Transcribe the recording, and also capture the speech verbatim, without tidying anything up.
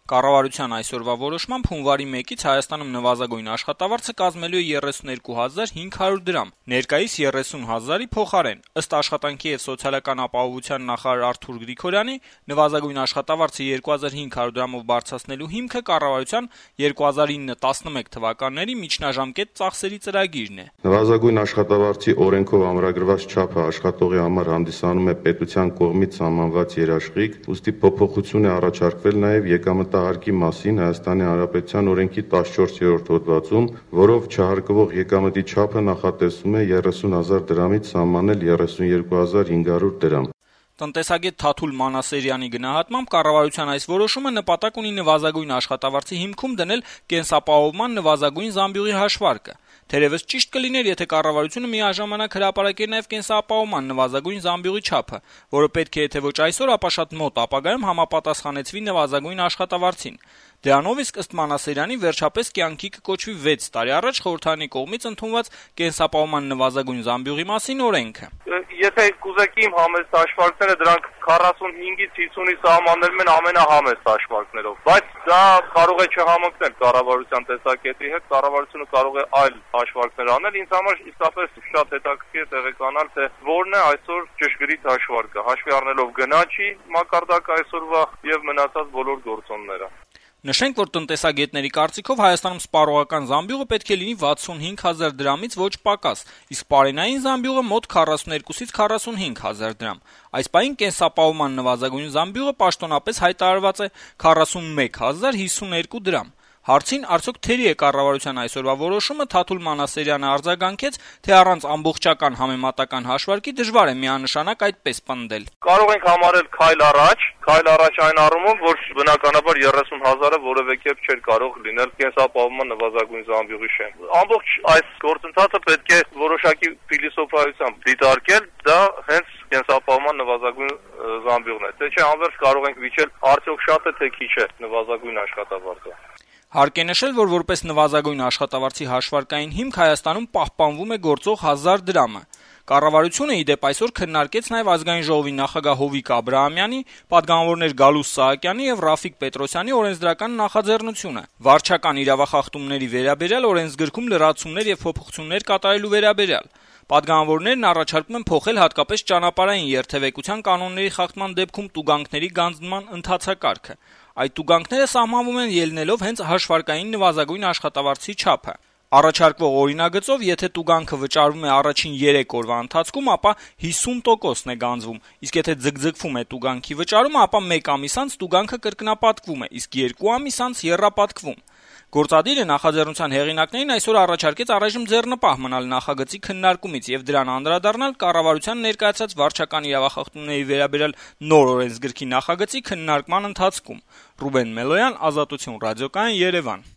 Կառավարության այսօրվա որոշմամբ հունվարի մեկից Հայաստանում նվազագույն աշխատավարձը կազմելու է երեսունհինգ հազար հինգ հարյուր դրամ, ներկայիս երեսուն հազարի փոխարեն։ Ըստ Աշխատանքի եւ սոցիալական ապահովության նախարար Արթուր Գրիգորյանի, նվազագույն աշխատավարձը երկու հազար հինգ հարյուր դրամով բարձրացնելու հիմքը կառավարության երկու հազար ինը տասնմեկ թվականների միջնաժամկետ ծախսերի ծրագիրն է։ Նվազագույն աշխատավարձի օրենքով ամրագրված չափը աշխատողի համար հանդիսանում է պետության կողմից սահմանված երաշխիք, ուստի փոփոխություն է առաջարկվել նաեւ եկամտահարկի մասին Հայաստանի Հանրապետության օրենքի տասնչորսերորդ հոդվածում, որով չհարկվող եկամտի չափը նախատեսվում է երեսուն հազար դրամից սահմանել երեսունյերկու հազար հինգ հարյուր դրամ։ Տնտեսագետ Թաթուլ Մանասերյանի գնահատմամբ կառավարության այս որոշումը նպատակ ունի նվազագույն աշխատավարձի հիմքում դնել կենսապահովման նվազագույն զամբյուղի հաշվարկը։ Թերևս ճիշտ կլիներ, եթե կառավարությունը միաժամանակ հրապարակեր նաև կենսապահովման նվազագույն զամբյուղի չափը, որը պետք է եթե ոչ այսօր, ապա շատ մոտ ապագայում համապատասխանեցվի նվազագույն աշխատավարձին։ Դրանով իսկ ըստ Մանասերյանի վերջապես կյանքի կկոչվի վեց տարի առաջ խորհրդարանի կողմից ընդունված կենսապահովման նվազագույն զամբյուղի մասին օրենքը։ Եթե կուզեք իմ համեստ հաշվարկները, դրանք քառասունհինգից հիսունի սահմաններում են ամենահամեստ հաշվարկներով, բայց դա կարող է չհամընկնել կառավարության տեսակետի հետ, կառավարությունը կարող է այլ հաշվարկներ անել։ Ինձ համար իսկապես շատ հետաքրքիր է տեղեկանալ, թե որն է այսօր ճշգրիտ հաշվարկը, հաշվի առնելով գնաճի մակարդակը այսօրվա եւ մնացած բոլոր գործոնները։ Նշենք, որ տնտեսագետների կարծիքով Հայաստանում սպառողական զամբյուղը պետք է լինի վաթսունհինգ հազար դրամից ոչ պակաս, իսկ պարենային զամբյուղը մոտ քառասունյոթից քառասունհինգ հազար դրամ։ Այս պահին կենսապահովման նվազագույն զամբյուղը պաշտոնապես հայտարարված է քառասունմեկ հազար հիսուներկու դրամ։ Հարցին արդյոք թերի է կառավարության այսօրվա որոշումը, Թաթուլ Մանասերյանը արձագանքեց, թե առանց ամբողջական համեմատական հաշվարկի դժվար է միանշանակ այդպես պնդել։ Կարող ենք համարել քայլ առաջ, քայլ առաջ այն առումով, որ բնականաբար երեսուն հազարը որևէ կերպ չէր կարող լինել կենսապահովման նվազագույն զամբյուղի շենք։ Ամբողջ այս գործընթացը պետք է որոշակի փիլիսոփայությամբ դիտարկել, դա հենց կենսապահովման նվազագույն զամբյուղն է։ Թե չէ անվերջ կարող ենք վիճել արդյոք շատ է թե քիչ է նվազագույն աշխատավարձը։ Հարկ է նշել, որ որպես նվազագույն աշխատավարձի հաշվարկային հիմք Հայաստանում պահպանվում է գործող հազար դրամը։ Կառավարությունը ի դեպ այսօր քննարկեց նաև Ազգային ժողովի նախագահ Հովիկ Աբրահամյանի, պատգամավորներ Գալուստ Սահակյանի եւ Ռաֆիկ Պետրոսյանի օրենսդրական նախաձեռնությունը վարչական իրավախախտումների վերաբերյալ օրենսգրքում լրացումներ եւ փոփոխություններ կատարելու վերաբերյալ։ Պատգամավորներն առաջարկում են փոխել հատկապես ճանապարհային երթևեկության կանոնների խախտման դեպքում տուգանքների գանձնման ընթացակարգը։ Այդ տուգանքները սահմանվում են ելնելով հենց հաշվարկային նվազագույն աշխատավարձի չափը։ Առաջարկվող օրինագծով, եթե տուգանքը վճարվում է առաջին երեք օրվա ընթացքում, ապա հիսուն տոկոսն է գանձվում, իսկ եթե ձգձգվում է տուգանքի վճարումը, ապա մեկ ամիս անց տուգանքը կրկնապատկվում է, իսկ երկու ամիս անց եռապատկվում։ Գործադիրը նախաձեռնության հեղինակներին այսօր առաջարկեց առայժմ ձեռնպահ մնալ նախագծի քննարկումից եւ դրան անդրադառնալ կառավարության ներկայացած վարչական իրավախախտումների վերաբերյալ նոր օրենսգրքի նախագծի քննարկման ընթացքում։ Ռուբեն Մելոյան, Ազատություն ռադիոկայան, Երևան։